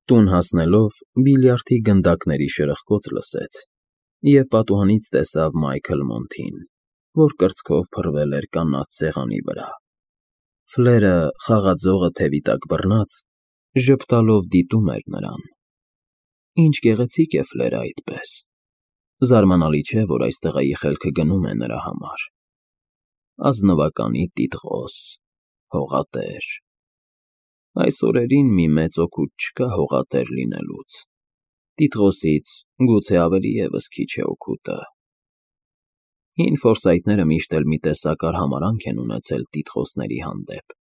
Տուն հասնելով բիլիարդի գնդակների շրխկոց լսեց և պատուհանից տեսավ Մայքլ Մոնթին, որ կրծքով փռվել էր կանաչ սեղանի վրա։ Ֆլերը, խաղաձողը թևի տակ բռնած, ժպտալով դիտում էր նրան։ Ինչ գեղեցիկ է Ֆլերը այդպես։ Զարմանալի չէ, որ այս տղայի խելքը գնում է նրա համար։ Ազնվականի տիտղոս, հողատեր։ Այս օրերին մի մեծ օգուտ չկա հողատեր լինելուց, տիտղոսից գուցե ավելի ևս քիչ է օգուտը։ Հին ֆորսայթները միշտ էլ մի տեսակ արհամարհանք են ունեցել տիտղոսների հանդեպ,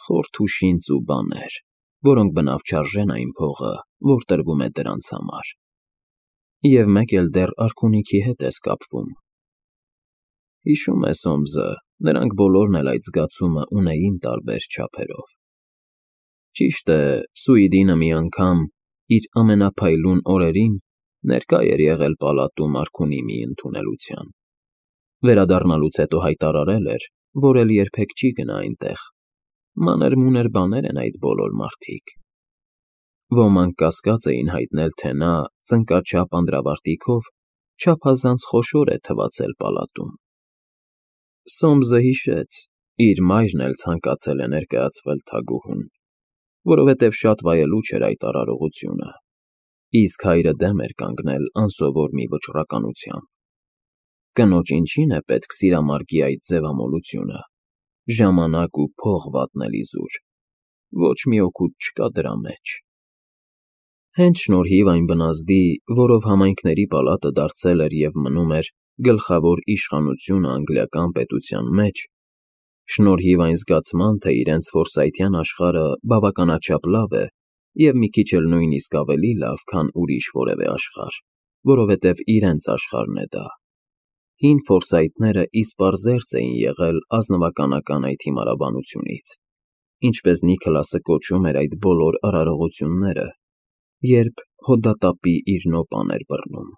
խորթ ու շինծ ու բաներ, որոնք բնավ չարժեն այն փողը, որ տրվում է դրանց համար, և մեկ էլ դեռ արքունիքի հետ ես կապվում։ Հիշում է Սոմսը, նրանք բոլորն էլ այդ զգացումը ունեին տարբեր չափերով։ Ճիշտ է, Սուիդինը մի անգամ, իր ամենափայլուն օրերին, ներկա էր եղել պալատում արքունի մի ընդունելության։ Վերադառնալուց հետո հայտարարել էր, որ էլ երբեք չի գնա այնտեղ։ Մանր-մունր բաներ են այդ բոլոր մարդիկ։ Ոմանք կասկած էին հայտնել, թե նա ծնկաչափ անդրավարտիքով չափազանց խոշոր է թվացել պալատում։ Սոմսը հիշեց, իր մայրն էլ ցանկացել է ներկայացվել թագուհուն, որովհետև շատ վայելուչ էր այդ արարողությունը, իսկ հայրը դեմ էր կանգնել անսովոր մի վճռականությամբ։ Կնոջ ինչին է պետք սիրամարգի այդ ձևամոլությունը, ժամանակ ու փող վատնել իզուր, ոչ մի օգուտ չկա դրա մեջ։ Հենց շնորհիվ այն բնազդի, որով համայնքների պալատը դարձել էր և մնում էր գլխավոր իշխանությունը անգլիական պետության մեջ, շնորհիվ այն զգացման, թե իրենց ֆորսայթյան աշխարհը բավականաչափ լավ է և մի քիչ էլ նույնիսկ ավելի լավ, քան ուրիշ որևէ աշխարհ, որովհետև իրենց աշխարհն է դա, հին ֆորսայթները իսպառ զերծ էին եղել ազնվականական այդ հիմարաբանությունից, ինչպես Նիքլասը կոչում էր այդ բոլոր արարողությունները, երբ հոդատապի իր նոպան էր բռնում։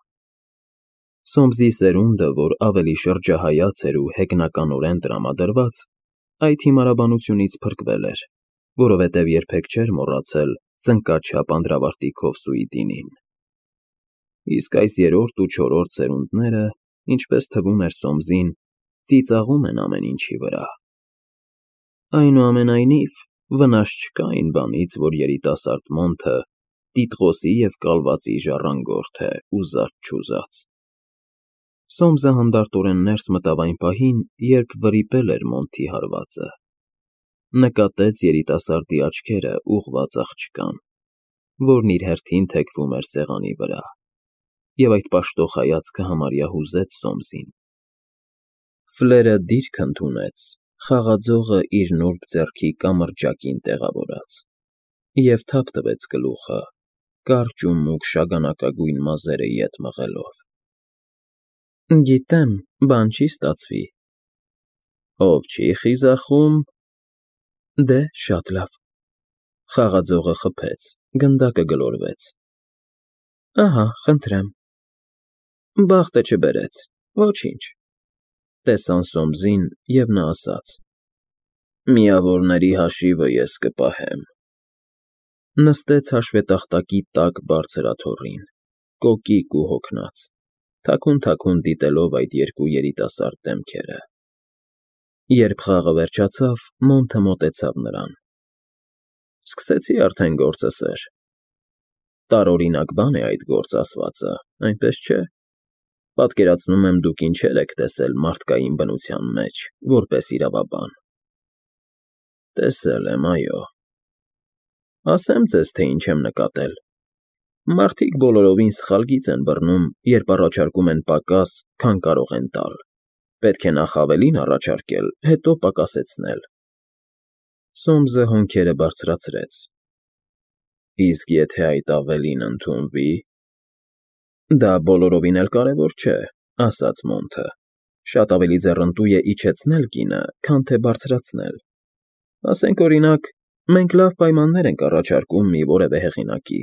Սոմսի սերունդը, որ ավելի շրջահայաց էր ու հեգնականորեն տրամադրված, այդ հիմարաբանությունից փրկվել էր, որովհետև երբեք չէր մոռացել ծնկաչափ անդրավարտիքով Սուիդինին։ Իսկ այս երրորդ ու չորրորդ սերունդները, ինչպես թվում էր Սոմսին, ծիծաղում են ամեն ինչի վրա։ Այնուամենայնիվ, վնաս չկա այն բանից, որ երիտասարդ Մոնթը տիտղոսի և կալվածի ժառանգորդ է, ուզած-չուզած։ Սոմսը հանդարտորեն ներս մտավ այն պահին, երբ վրիպել էր Մոնթի հարվածը։ Նկատեց երիտասարդի աչքերը ուղղված աղջկան, որն իր հերթին թեքվում էր սեղանի վրա, և այդ պաշտող հայացքը համարյա հուզեց Սոմսին։ Ֆլերը դիրք ընդունեց, խաղաձողը իր նուրբ ձեռքի կամրջակին տեղավորած, և թափ տվեց գլուխը, կարճ ու մուգ շագանակագույն մազերը ետ մղելով։ Գիտեմ, բան չի ստացվի։ Ով չի խիզախում… Դե, շատ լավ։ Խաղաձողը խփեց, գնդակը գլորվեց։ Ահա, խնդրեմ։ Բախտը չբերեց, ոչինչ։ Տեսան Սոմսին, և նա ասաց. Միավորների հաշիվը ես կպահեմ։ Նստեց հաշվետախտակի տակ բարձր աթոռին, կոկիկ ու հոգնած, թաքուն դիտելով այդ երկու երիտասարդ դեմքերը։ Երբ խաղը վերջացավ, Մոնթը մոտեցավ նրան։ Սկսեցի արդեն գործը, սըր։ Տարօրինակ բան է այդ գործ ասվածը, այնպես չէ։ Պատկերացնում եմ, դուք ինչեր եք տեսել մարդկային բնության մեջ, որպես իրավաբան։ Տեսել եմ, այո։ Ասեմ ձեզ, թե ինչ եմ նկատել։ Մարդիկ բոլորովին սխալ գիծ են բռնում, երբ առաջարկում են պակաս, քան կարող են տալ։ Պետք է նախ ավելին առաջարկել, հետո պակասեցնել։ Սոմսը հոնքերը բարձրացրեց։ Իսկ եթե այդ ավելին ընդունվի… Դա բոլորովին էլ կարևոր չէ, ասաց Մոնթը, շատ ավելի ձեռնտու է իջեցնել գինը, քան թե բարձրացնել։ Ասենք, օրինակ, մենք լավ պայմաններ ենք առաջարկում մի որևէ հեղինակի,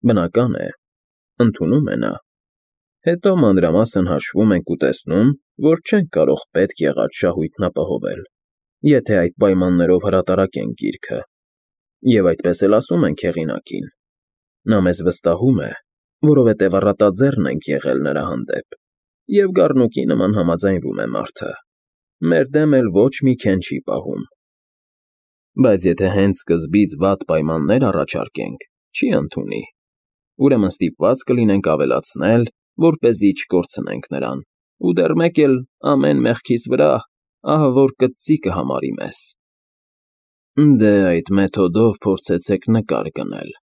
բնական է, ընդունում է նա։ Հետո մանրամասն հաշվում ենք ու տեսնում, որ չենք կարող պետք եղած շահույթն ապահովել, եթե այդ պայմաններով հրատարակենք գիրքը, և այդպես էլ ասում ենք հեղինակին. Նա մեզ վստահում է, որովհետև առատաձեռն ենք եղել նրա հանդեպ, և գառնուկի նման համաձայնվում է մարդը, մեր դեմ էլ ոչ մի քեն չի պահում։ Բայց եթե հենց սկզբից վատ պայմաններ առաջարկենք, չի ընդունի, ուրեմն ստիպված կլինենք ավելացնել, որպեսզի չկորցնենք նրան, ու դեռ մեկ էլ ամեն մեղքիս վրա ահավոր կծծի կհամարի մեզ։ Դե այդ մեթոդով փորձեցեք նկար գնել,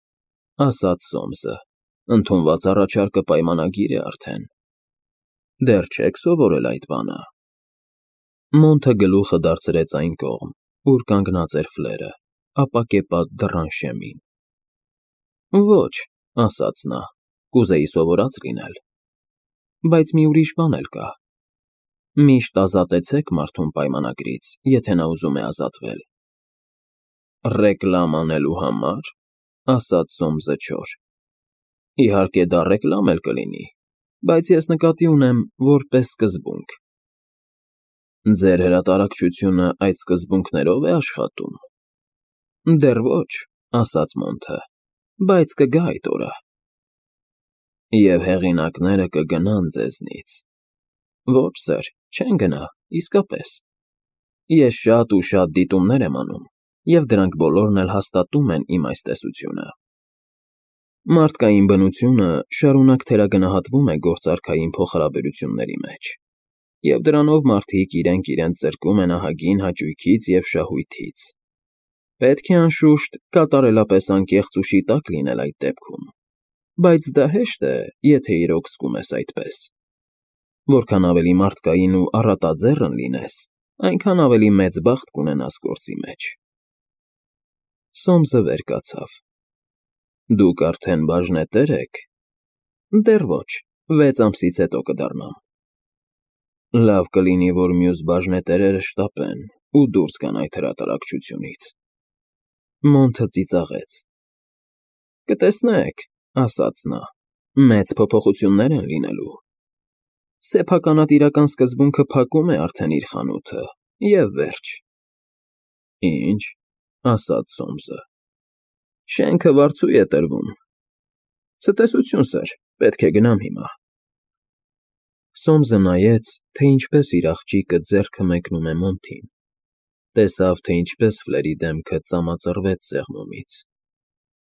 ասաց Սոմսը, ընդունված առաջարկը պայմանագիր է արդեն։ Դեռ չեք սովորել այդ բանը։ Մոնթը գլուխը դարձրեց այն կողմ, ուր կանգնած էր Ֆլերը, ապակեպատ դռան շեմին։ Ոչ, ասաց նա, կուզեի սովորած լինել։ Բայց մի ուրիշ բան էլ կա։ Միշտ ազատեցեք մարդուն պայմանագրից, եթե նա ուզում է ազատվել։ Ռեկլամ անելու համար, ասաց Սոմսը չոր։ Իհարկե դա ռեկլամ էլ կլինի, բայց ես նկատի ունեմ որպես սկզբունք։ Ձեր հրատարակչությունը այդ սկզբունքներով է աշխատում։ Դեռ ոչ, ասաց Մոնթը, բայց կգա այդ օրը։ Եվ հեղինակները կգնան ձեզնից։ Ոչ, սըր, չեն գնա, իսկապես։ Ես շատ ու շատ դիտումներ եմ անում, և դրանք բոլորն էլ հաստատում են իմ այս տեսությունը։ Մարդկային բնությունը շարունակ թերագնահատվում է գործարքային փոխհարաբերությունների մեջ, և դրանով մարդիկ իրենք զրկում են ահագին հաճույքից և շահույթից։ Պետք է անշուշտ կատարելապես անկեղծ ու շիտակ լինել այդ դեպքում, բայց դա հեշտ է, եթե իրոք զգում ես այդպես։ Որքան ավելի մարդկային ու առատաձեռն լինես, այնքան ավելի մեծ բախտ կունենաս գործի մեջ։ Սոմսը վեր կացավ։ Դուք արդեն բաժնետեր եք։ Դեռ ոչ, 6 ամսից հետո կդառնամ։ Լավ կլինի, որ մյուս բաժնետերերը շտապեն ու դուրս գան այդ հրատարակչությունից։ Մոնթը ծիծաղեց։ Կտեսնեք, ասաց նա, մեծ փոփոխություններ են լինելու։ Սեփականատիրական սկզբունքը փակում է արդեն իր խանութը, և վերջ։ Ինչ, ասաց Սոմսը։ Շենքը վարձու է տրվում։ Ցտեսություն, սըր, պետք է գնամ հիմա։ Սոմսը նայեց, թե ինչպես իր աղջիկը ձեռքը մեկնում է Մոնթին։ Տեսավ, թե ինչպես Ֆլերի դեմքը ծամածռվեց սեղմումից։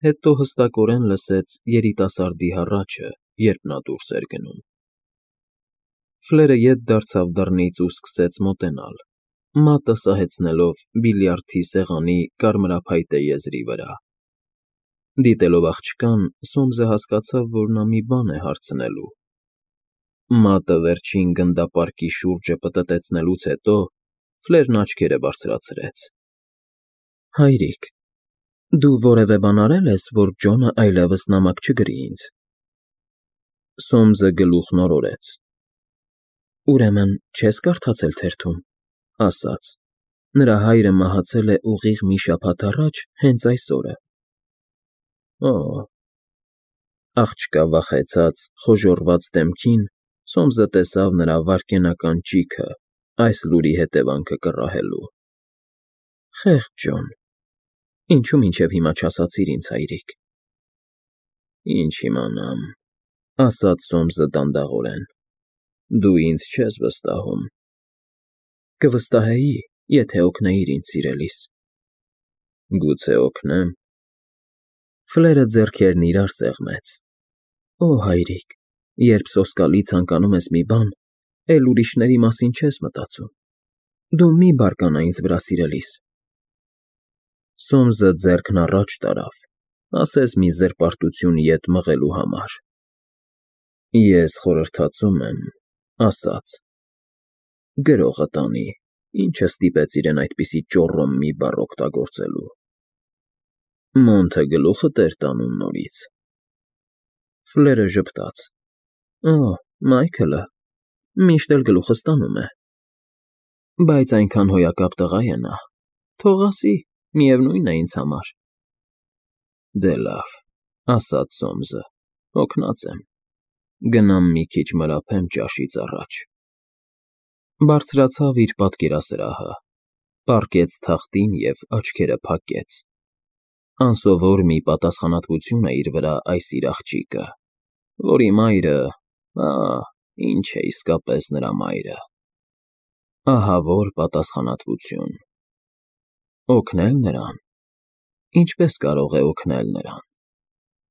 Հետո հստակորեն լսեց երիտասարդի հառաչը, երբ նա դուրս էր գնում։ Ֆլերը ետ դարձավ դռնից ու սկսեց մոտենալ, մատը սահեցնելով բիլիարդի սեղանի կարմրափայտե եզրի վրա։ Դիտելով աղջկան, Սոմսը հասկացավ, որ նա մի բան է հարցնելու։ Մատը վերջին գնդապարկի շուրջը պտտեցնելուց հետո Ֆլերն աչքերը բարձրացրեց։ Հայրիկ, դու որևէ բան արել ես, որ Ջոնը այլևս նամակ չգրի ինձ։ Սոմսը գլուխն օրորեց։ Ուրեմն չես կարդացել թերթում, ասաց։ Նրա հայրը մահացել է ուղիղ մի շաբաթ առաջ հենց այս օրը։ Օ՜։ Աղջկա վախեցած, խոժոռված դեմքին Սոմսը տեսավ նրա վայրկենական ճիգը այս լուրի հետևանքը կռահելու։ Խեղճ Ջոն, ինչու մինչև հիմա չասացիր ինձ, հայրիկ։ Ինչ իմանամ, ասաց Սոմսը դանդաղորեն։ Դու ինձ չես վստահում։ Կվստահեի, եթե օգնեիր ինձ սիրելիս։ Գուցե օգնեմ։ Ֆլերը ձեռքերն իրար սեղմեց։ Օ, հայրիկ, երբ սոսկալի ցանկանում ես մի բան, էլ ուրիշների մասին չես մտածում։ Դու մի բարկանա ինձ վրա, սիրելիս։ Սոմսը ձեռքն առաջ տարավ, ասես մի զրպարտություն ետ մղելու համար։ Ես խորհրդածում եմ, ասաց. Գրողը տանի, ինչը ստիպեց իրեն այդպիսի ճոռոմ մի բառ օգտագործելու։ Մոնթը գլուխը տեր տանում նորից։ Ֆլերը ժպտաց։ Օ, Մայքլը, միշտ էլ գլուխս տանում է։ Բայց այնքան հոյակապ տղա է նա։ Թող ասի, միևնույն է ինձ համար։ Դե լավ, ասաց Սոմսը, հոգնած եմ։ Գնամ մի քիչ մրափեմ ճաշից առաջ։ Բարձրացավ իր պատկերասրահը, պառկեց թախտին և աչքերը փակեց։ Անսովոր մի պատասխանատվություն է իր վրա այս իր աղջիկը, որի մայրը, ինչ է իսկապես նրա մայրը… Ահավոր պատասխանատվություն… Օգնել նրան… Ինչպե՞ս կարող է օգնել նրան…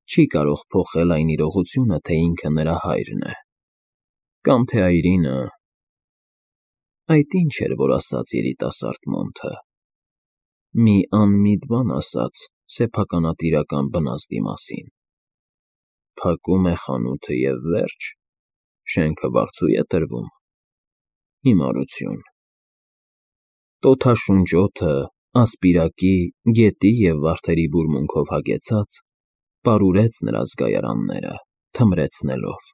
Չի կարող փոխել այն իրողությունը, թե ինքը նրա հայրն է… Կամ թե այրինը… Այդ ի՞նչ էր, որ ասաց երիտասարդ Մոնթը… Մի անմիտ բան ասաց սեփականատիրական բնազդի մասին… Փակում է խանութը և վերջ… Շենքը վարձու է տրվում… Հիմարություն… Տոթաշունչ օդը, ասպիրակի, գետի և վարդերի բուրմունքով հագեցած, պարուրեց նրա զգայարանները, թմրեցնելով…